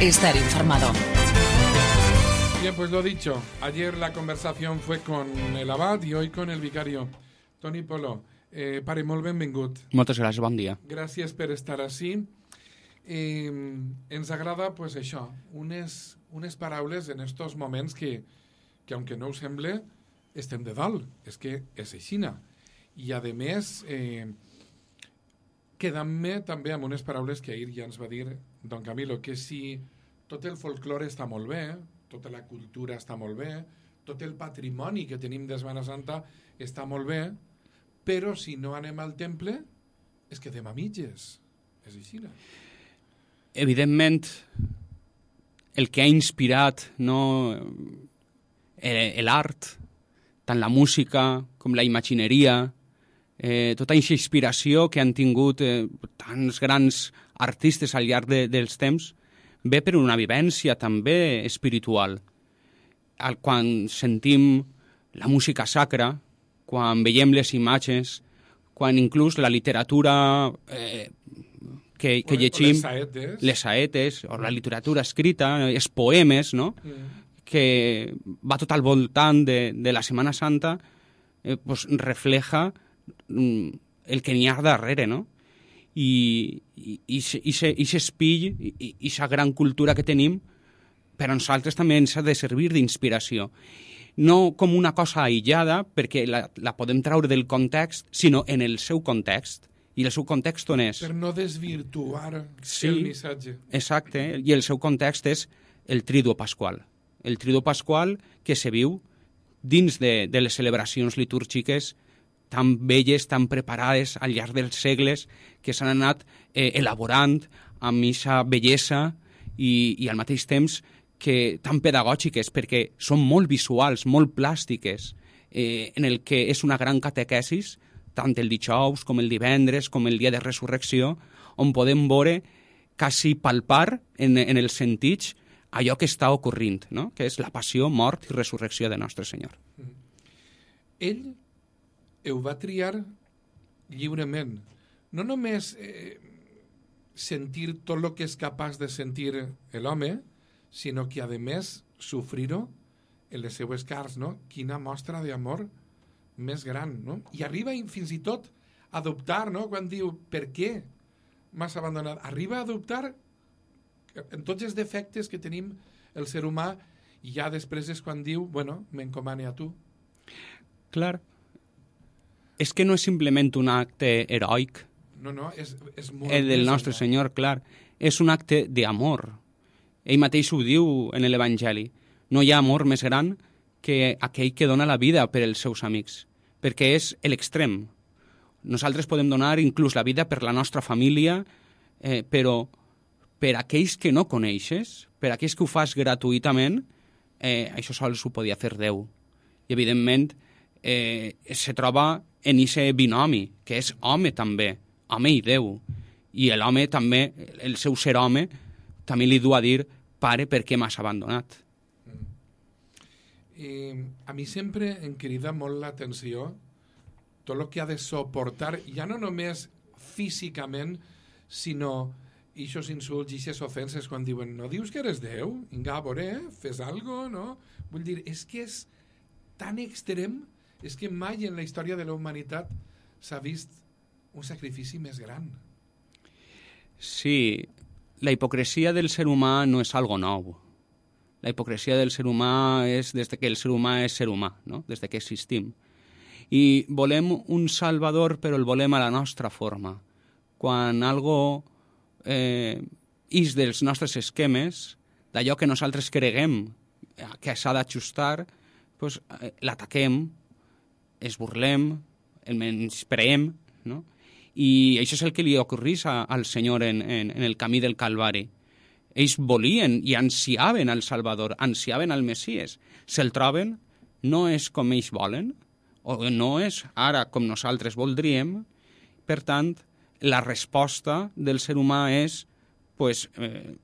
estar informado. Bien, pues lo dicho, ayer la conversación fue con el abad y hoy con el vicario. Toni Polo, pare, molt benvingut. Moltes gràcies, bon dia. Gràcies per estar ací. Ens agrada, pues això, unes paraules en estos moments que aunque no ho sembla, estem de dalt. És que és aixina. I, a més, quedant-me també amb unes paraules que ahir ja ens va dir don Camilo, que si tot el folklore està molt bé, tota la cultura està molt bé, tot el patrimoni que tenim de Setmana Santa està molt bé, però si no anem al temple, es quedem a mitges. És aixina. Evidentment, el que ha inspirat l'art, tant la música com la imagineria, tota aquesta inspiració que han tingut tants grans artistes al llarg dels temps, ve per una vivència també espiritual. Quan sentim la música sacra, quan veiem les imatges, quan inclús la literatura que llegim, les saetes, o la literatura escrita, els poemes, no? Que va tot al voltant de la Setmana Santa, pues refleja el que n'hi ha darrere, no? I s'espill, i aquesta gran cultura que tenim, per a nosaltres també ens ha de servir d'inspiració. No com una cosa aïllada, perquè la podem treure del context, sinó en el seu context. I el seu context on és? Per no desvirtuar el missatge. Exacte, i el seu context és el Triduo Pasqual. El Triduo Pasqual que se viu dins de les celebracions litúrgiques tan belles, tan preparades al llarg dels segles, que s'han anat elaborant amb aquesta bellesa i al mateix temps que tan pedagògiques, perquè són molt visuals, molt plàstiques, en el que és una gran catequesis, tant el dijous com el divendres, com el dia de resurrecció, on podem veure, quasi palpar en els sentits, allò que està ocorrint, no? Que és la passió, mort i resurrecció de Nostre Senyor. Ell ho va triar lliurement. No només sentir tot el que és capaç de sentir l'home, sinó que, a més, sofrir-ho en les seues carns, no? Quina mostra d'amor més gran, no? I arriba fins i tot a dubtar, no? Quan diu, per què m'has abandonat? Arriba a dubtar en tots els defectes que tenim el ser humà, i ja després és quan diu, bueno, m'encomane a tu. Clar. És que no és simplement un acte heroic. No, és molt el del Nostre Senyor, clar. És un acte d'amor. Ell mateix ho diu en l'Evangeli. No hi ha amor més gran que aquell que dona la vida per als seus amics, perquè és l'extrem. Nosaltres podem donar inclús la vida per la nostra família, però per aquells que no coneixes, per aquells que ho fas gratuïtament, això sols ho podia fer Déu. I, evidentment, se troba en aquest binomi, que és home també, home i Déu. I l'home també, el seu ser home, també li du a dir, pare, per què m'has abandonat? A mi sempre em crida molt l'atenció tot el que ha de suportar, ja no només físicament, sinó aquests insults i aquestes ofenses quan diuen, no dius que eres Déu? Vinga, a veure, fes algo, no? Vull dir, és que és tan extrem, és que mai en la història de la humanitat s'ha vist un sacrifici més gran. Sí, la hipocresia del ser humà no és algo nou. La hipocresia del ser humà és des que el ser humà és ser humà, no? Des que existim. I volem un salvador, però el volem a la nostra forma. Quan algo ix dels nostres esquemes, d'allò que nosaltres creguem que s'ha d'ajustar, doncs l'ataquem, es burlem, el menyspreem, no? I això és el que li ocorrís al Senyor en el camí del Calvari. Ells volien i ansiaven al Salvador, ansiaven al Messies. Se'l troben, no és com ells volen, o no és ara com nosaltres voldríem. Per tant, la resposta del ser humà és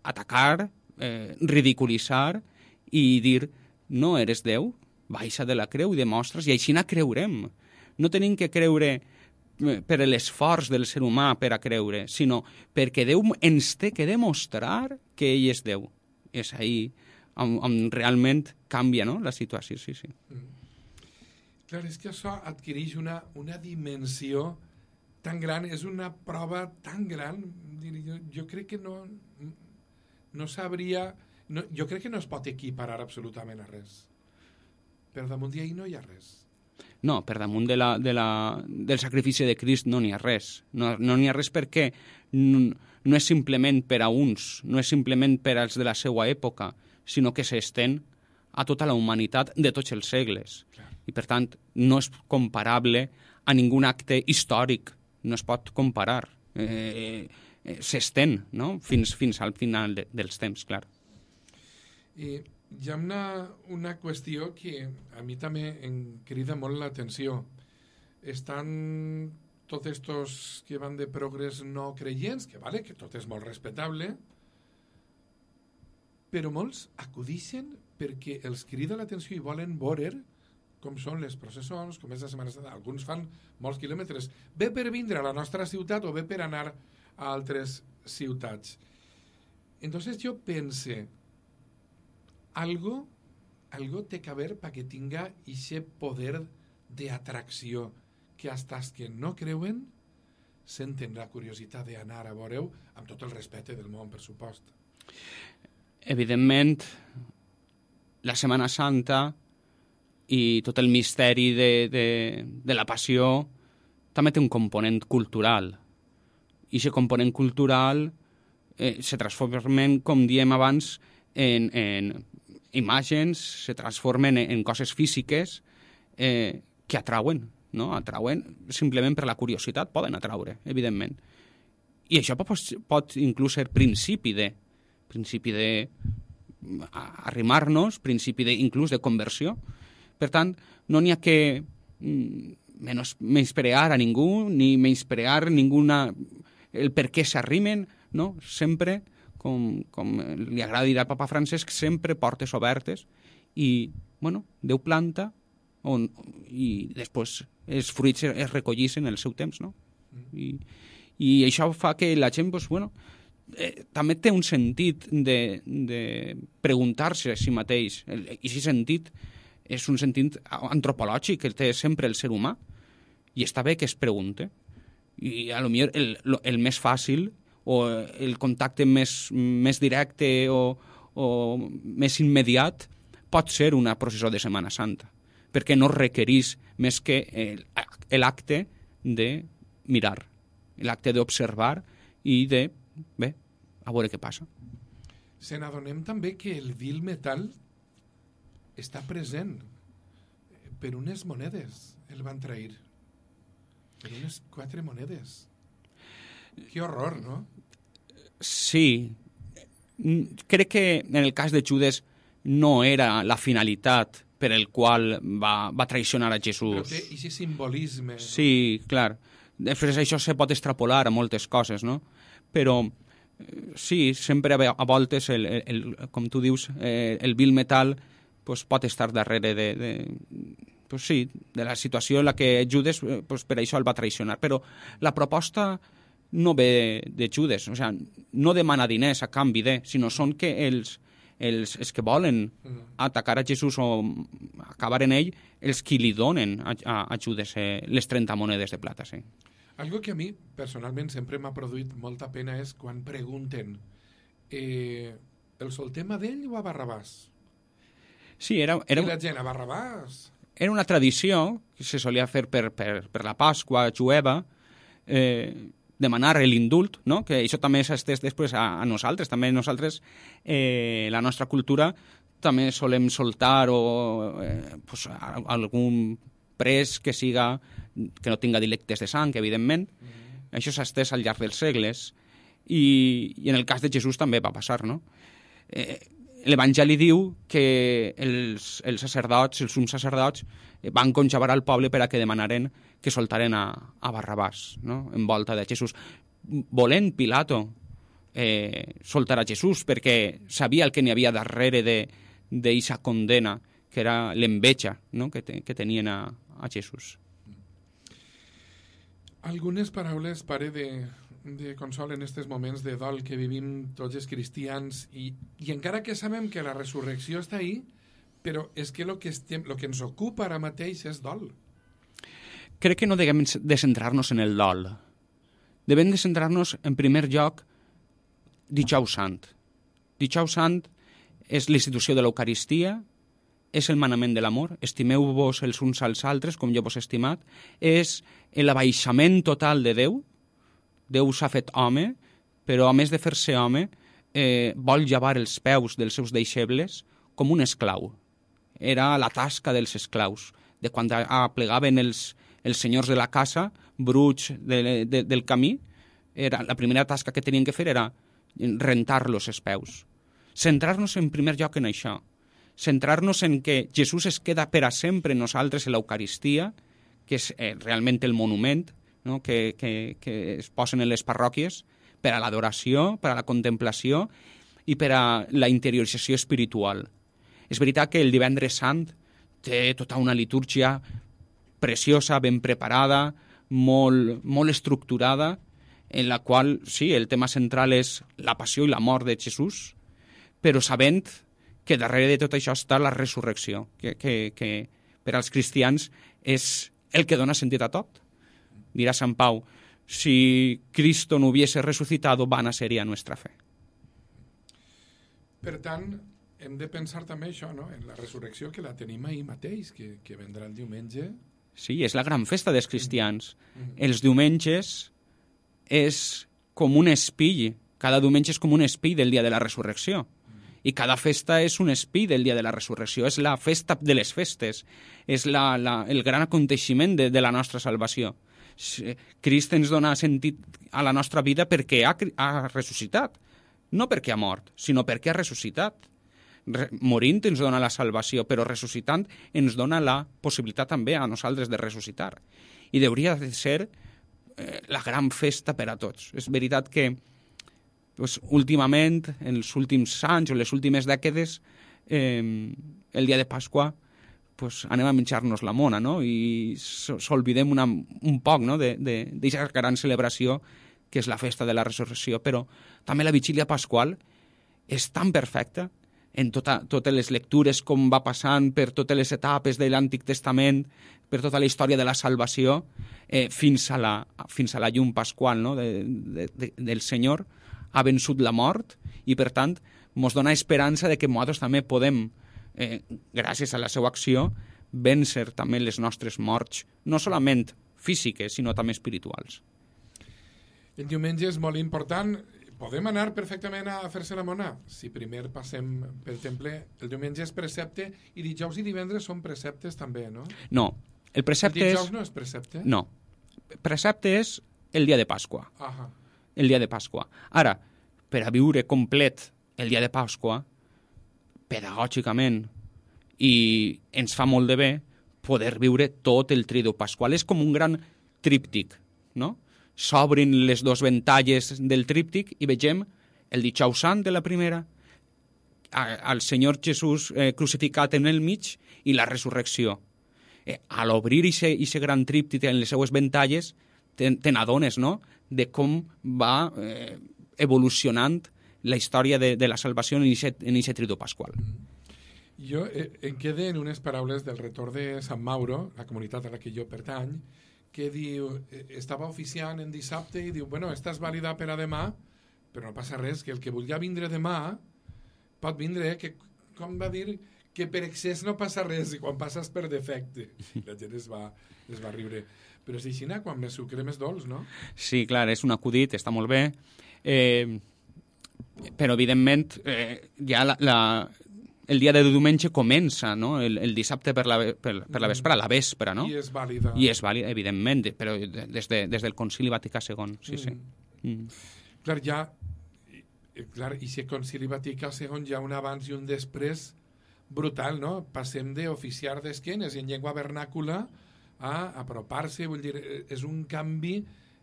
atacar, ridiculitzar i dir, no eres Déu, baixa de la creu i demostres, i així la creurem. No tenim que creure per l'esforç del ser humà per a creure, sinó perquè Déu ens té que demostrar que ell és Déu. és ahir on realment canvia, no?, la situació, sí. Clar, és que això adquireix una dimensió tan gran, és una prova tan gran, jo crec que no sabria, jo crec que no es pot equiparar absolutament a res. Per damunt d'ahir no hi ha res. No, per damunt del sacrifici de Crist no n'hi ha res. No n'hi ha res perquè no és simplement per a uns, no és simplement per als de la seva època, sinó que s'estén a tota la humanitat de tots els segles. Clar. I, per tant, no és comparable a ningun acte històric. No es pot comparar. S'estén, no?, fins al final dels temps, clar. I hi ha una qüestió que a mi també em crida molt l'atenció. Estan tots estos que van de progrés no creients, que vale, que tot és molt respectable, però molts acudixen perquè els crida l'atenció i volen veure com són les processons, com és la Setmana Santa. Alguns fan molts quilòmetres. Bé per vindre a la nostra ciutat o bé per anar a altres ciutats. Entonces yo pensé, algo té que haver perquè tinga ese poder de atracció que hasta els que no creuen senten la curiositat d'anar a veure-ho amb tot el respecte del món, per supost. Evidentment, la Setmana Santa i tot el misteri de la passió també té un component cultural. I aquest component cultural se transformen, com diem abans, en imatges, se transformen en coses físiques que atrauen, no? Atrauen simplement per la curiositat, poden atraure, evidentment. I això pot inclús ser principi de arrimar-nos, principi inclús de conversió. Per tant, no n'hi ha que menysprear a ningú, ni menysprear el per què s'arrimen, no? Sempre, com li agrada dir al papa Francesc, sempre portes obertes i, bueno, Déu planta i després els fruits es recollissin en el seu temps, no? I això fa que la gent, doncs, bueno, també té un sentit de preguntar-se a si mateix. I aquest sentit és un sentit antropològic que té sempre el ser humà i està bé que es pregunte. I a lo millor el més fàcil o el contacte més directe o més immediat pot ser una processó de Setmana Santa, perquè no requereix més que l'acte de mirar, l'acte d'observar i de, bé, a veure què passa. Se n'adonem també que el vil metal està present per unes monedes, el van trair. Per unes 4 monedes. Que horror, no? Sí. Crec que en el cas de Judes no era la finalitat per el qual va traicionar a Jesús. Però té aquest simbolisme. Sí, clar. Després això se pot extrapolar a moltes coses, no? Però sí, sempre a voltes, com tu dius, el vil metal pues, pot estar darrere pues, sí, de la situació en la que Judes pues, per això el va traicionar. Però la proposta no ve de Judes, o sigui, no demana diners a canvi sinó són que els que volen atacar a Jesús o acabar en ell, els que li donen a Judes les 30 monedes de plata, sí. Algo que a mi, personalment, sempre m'ha produït molta pena és quan pregunten el soltem a d'ell o a Barrabàs? Sí, I la gent, a Barrabàs? Era una tradició que se solia fer per la Pasqua jueva, demanar l'indult, no? Que això també s'estès després a nosaltres. També nosaltres, la nostra cultura, també solem soltar pues, algun pres que no tinga delictes de sang, evidentment. Això s'ha estès al llarg dels segles i en el cas de Jesús també va passar, no? L'Evangeli diu que els sacerdots, els sums sacerdots, van conjabar al poble per a que demanaren que soltaren a Barrabàs, no? En volta de Jesús. Volent Pilato soltar a Jesús perquè sabia el que n'hi havia darrere d'eixa condena, que era l'enveja, no? que tenien a Jesús. Algunes paraules, pare, de consol en aquests moments de dol que vivim tots els cristians i encara que sabem que la resurrecció està ahí, però és que el que ens ocupa ara mateix és dol. Crec que no devem de centrar-nos en el dol. Devem de centrar-nos, en primer lloc, Dijous Sant. Dijous Sant és l'institució de l'Eucaristia, és el manament de l'amor, estimeu-vos els uns als altres com jo vos he estimat, és l'abaixament total de Déu. Déu s'ha fet home, però a més de fer-se home, vol llevar els peus dels seus deixebles com un esclau. Era la tasca dels esclaus, de quan aplegaven els senyors de la casa, bruts del camí, la primera tasca que tenien que fer era rentar-los els peus. Centrar-nos en primer lloc en això, centrar-nos en que Jesús es queda per a sempre en nosaltres en l'Eucaristia, que és realment el monument, no? que es posen en les parròquies per a l'adoració, per a la contemplació i per a la interiorització espiritual. És veritat que el Divendres Sant té tota una litúrgia preciosa, ben preparada, molt estructurada, en la qual, sí, el tema central és la passió i la mort de Jesús, però sabent que darrere de tot això està la resurrecció, que per als cristians és el que dona sentit a tot. Dirà Sant Pau, si Cristo no hubiese resucitado, vana sería nuestra fe. Per tant, hem de pensar també això, no? En la resurrecció, que la tenim ahir mateix, que vendrà el diumenge. Sí, és la gran festa dels cristians. Els diumenges és com un espill. Cada diumenge és com un espill del dia de la resurrecció. I cada festa és un espill del dia de la resurrecció. És la festa de les festes. És el gran aconteixement de la nostra salvació. Crist ens dona sentit a la nostra vida perquè ha ressuscitat. No perquè ha mort, sinó perquè ha ressuscitat. Morint ens dona la salvació, però ressuscitant ens dona la possibilitat també a nosaltres de ressuscitar. I hauria de ser la gran festa per a tots. És veritat que últimament, en els últims anys o les últimes dècades, el dia de Pasqua anem a menjar-nos la mona, no? I s'olvidem un poc, no? d'aquesta gran celebració que és la festa de la resurrecció. Però també la vigília pasqual és tan perfecta en totes les lectures, com va passant per totes les etapes de l'Antic Testament, per tota la història de la salvació, fins a la llum pasqual, no? del Senyor, ha vençut la mort i, per tant, ens dona esperança de que nosaltres també podem, gràcies a la seva acció, vèncer també les nostres morts, no solament físiques, sinó també espirituals. El diumenge és molt important. Podem anar perfectament a fer-se la mona? Si primer passem pel temple, el diumenge és precepte i dijous i divendres són preceptes també, no? No, el precepte el dijous no és precepte? No, precepte és el dia de Pasqua. Ahà. El dia de Pasqua. Ara, per a viure complet el dia de Pasqua, pedagògicament, i ens fa molt de bé poder viure tot el Triduo Pasqual. És com un gran tríptic, no? S'obrin les dues ventalles del tríptic i vegem el Dijous Sant de la primera, al Senyor Jesús crucificat en el mig i la resurrecció. A l'obrir aquest gran tríptic en les seues ventalles, te n'adones, no?, de com va evolucionant la història de la salvació en aquest Triduo Pasqual. Jo em quedé en unes paraules del retor de Sant Mauro, la comunitat a la que jo pertany, que diu, estava oficiant en dissabte i diu, bueno, esta és vàlida per a demà, però no passa res, que el que vulgui vindre demà pot vindre, que com va dir, que per excés no passa res i quan passes per defecte. La gent es va riure. Però és així, quan més sucre més dolç, no? Sí, clar, és un acudit, està molt bé, però evidentment ja el dia de diumenge comença, no? El dissabte per la vespre, a la vespre, no? I és vàlida. I és vàlida, evidentment, però des del Concili Vaticà II, sí, sí. Clar, i si el Concili Vaticà II hi ha un abans i un després brutal, no? Passem d'oficiar d'esquenes i en llengua vernàcula a apropar-se, vull dir, és un canvi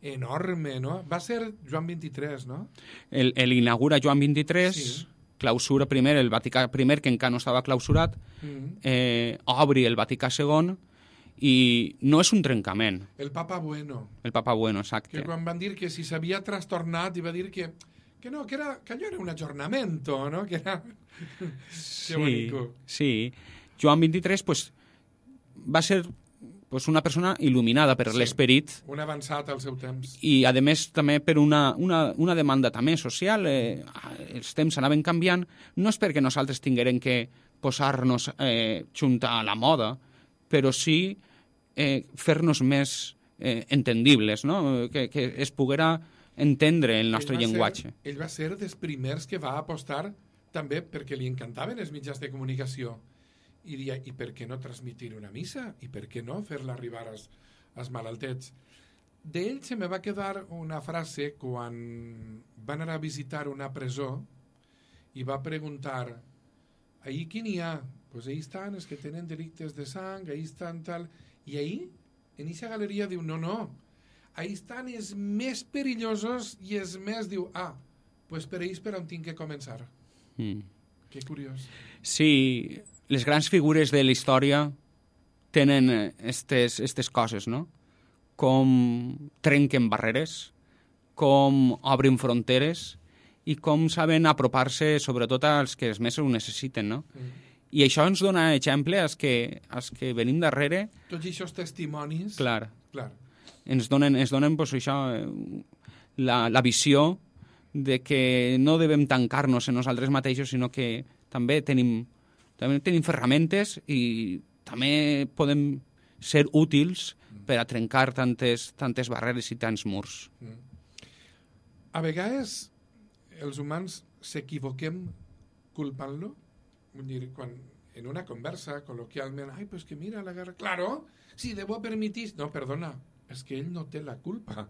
enorme, no? Va ser Joan XXIII, no? L'inaugura Joan XXIII, sí. Clausura primer, el Vaticà I, que encara no estava clausurat, obri el Vaticà II I no és un trencament. El Papa Bueno. El Papa Bueno, exacte. Que quan van dir que si s'havia trastornat i va dir que no, que allò era un aggiornamento, no? Que era... Sí, sí. Joan XXIII pues, va ser pues, una persona il·luminada per l'esperit. Un avançat al seu temps. I, a més, també per una demanda també social. Els temps anaven canviant. No és perquè nosaltres tinguérem que posar-nos junt a la moda, però sí fer-nos més entendibles, no? Que es poguera entendre el nostre llenguatge. Ell va ser dels primers que va apostar també perquè li encantaven els mitjans de comunicació. I deia, i per què no transmitir una missa? I per què no fer-la arribar als malaltets? D'ell se me va quedar una frase quan va anar a visitar una presó i va preguntar, ahí qui n'hi ha? Pues ahí estan els que tenen delictes de sang, ahí estan tal... I ahí, en aquesta galeria, diu, no, ahí estan els més perillosos i els més, diu, pues per ells per on tinc que començar. Que curiós. Sí, les grans figures de la història tenen aquestes coses, no? Com trenquen barreres, com obren fronteres i com saben apropar-se sobretot als que més ho necessiten, no? I això ens dona exemple als que venim darrere. Tots aquests testimonis... Clar. Ens donen pues, això, la visió de que no devem tancar-nos en nosaltres mateixos, sinó que també tenim ferramentes i també podem ser útils per a trencar tantes barreres i tants murs. A vegades els humans s'equivoquem culpant-lo. Vull dir, quan en una conversa, col·loquialment, pues que mira la guerra... Claro, si debo permitir... No, perdona, és que ell no té la culpa.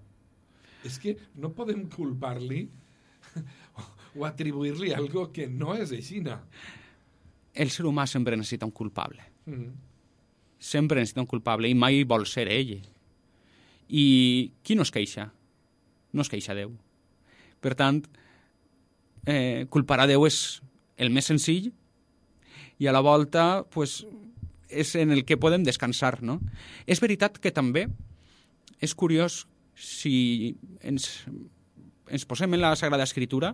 És que no podem culpar-li o atribuir-li algo que no és aixina. El ser humà sempre necessita un culpable. Sempre necessita un culpable i mai vol ser ell. I qui no es queixa? No es queixa Déu. Per tant, culpar a Déu és el més senzill i a la volta pues, és en el que podem descansar, no? És veritat que també és curiós si ens posem en la Sagrada Escritura,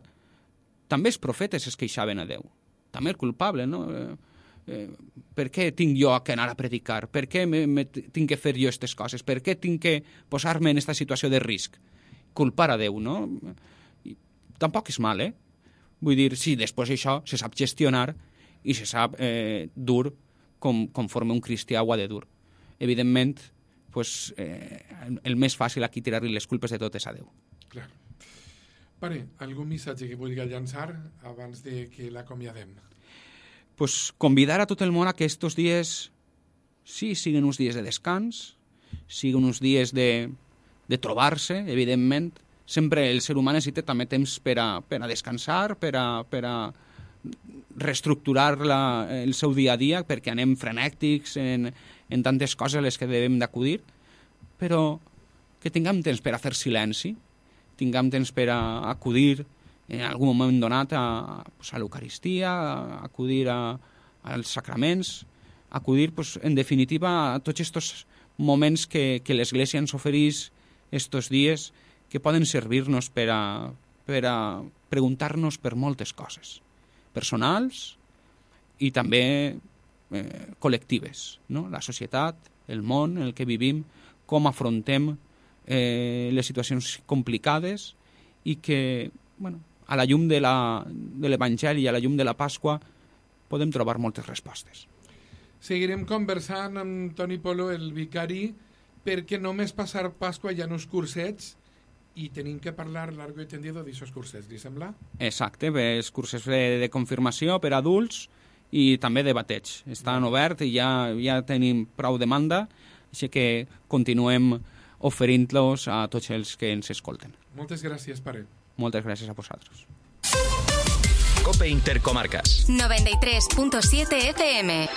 també els profetes es queixaven a Déu, també el culpable, no? Per què tinc jo que anar a predicar? Per què tinc que fer jo aquestes coses? Per què tinc que posar-me en aquesta situació de risc? Culpar a Déu, no? I tampoc és mal, Vull dir, sí, després això se sap gestionar i se sap dur conforme un cristià ho ha de dur. Evidentment, pues, el més fàcil aquí tirar-li les culpes de tot és a Déu. Clar. Pare, algun missatge que vulgui llançar abans de que l'acomiadem? Pues convidar a tot el món a que estos dies sí, siguin uns dies de descans, siguin uns dies de trobar-se, evidentment. Sempre el ser humà necessita també temps per a descansar, per a reestructurar el seu dia a dia, perquè anem frenèctics en tantes coses a les que devem d'acudir, però que tinguem temps per a fer silenci, tinguem temps per a acudir en algun moment donat a l'Eucaristia, a acudir als sacraments, acudir, en definitiva, a tots aquests moments que l'Església ens ofereix estos dies, que poden servir-nos per a preguntar-nos per moltes coses, personals i també col·lectives, no? La societat, el món en el que vivim, com afrontem les situacions complicades i que, a la llum de l'Evangeli i a la llum de la Pasqua podem trobar moltes respostes. Seguirem conversant amb Toni Polo, el vicari, perquè només passar Pasqua hi ha uns cursets i tenim que parlar largo i tendido d'aixòs cursets, li sembla? Exacte, els curses de confirmació per adults i també de bateig. Estan oberts i ja tenim prou demanda, així que continuem oferint-los a tots els que ens escolten. Moltes gràcies, pare. Moltes gràcies a vosaltres. COPE Intercomarcas 93.7 FM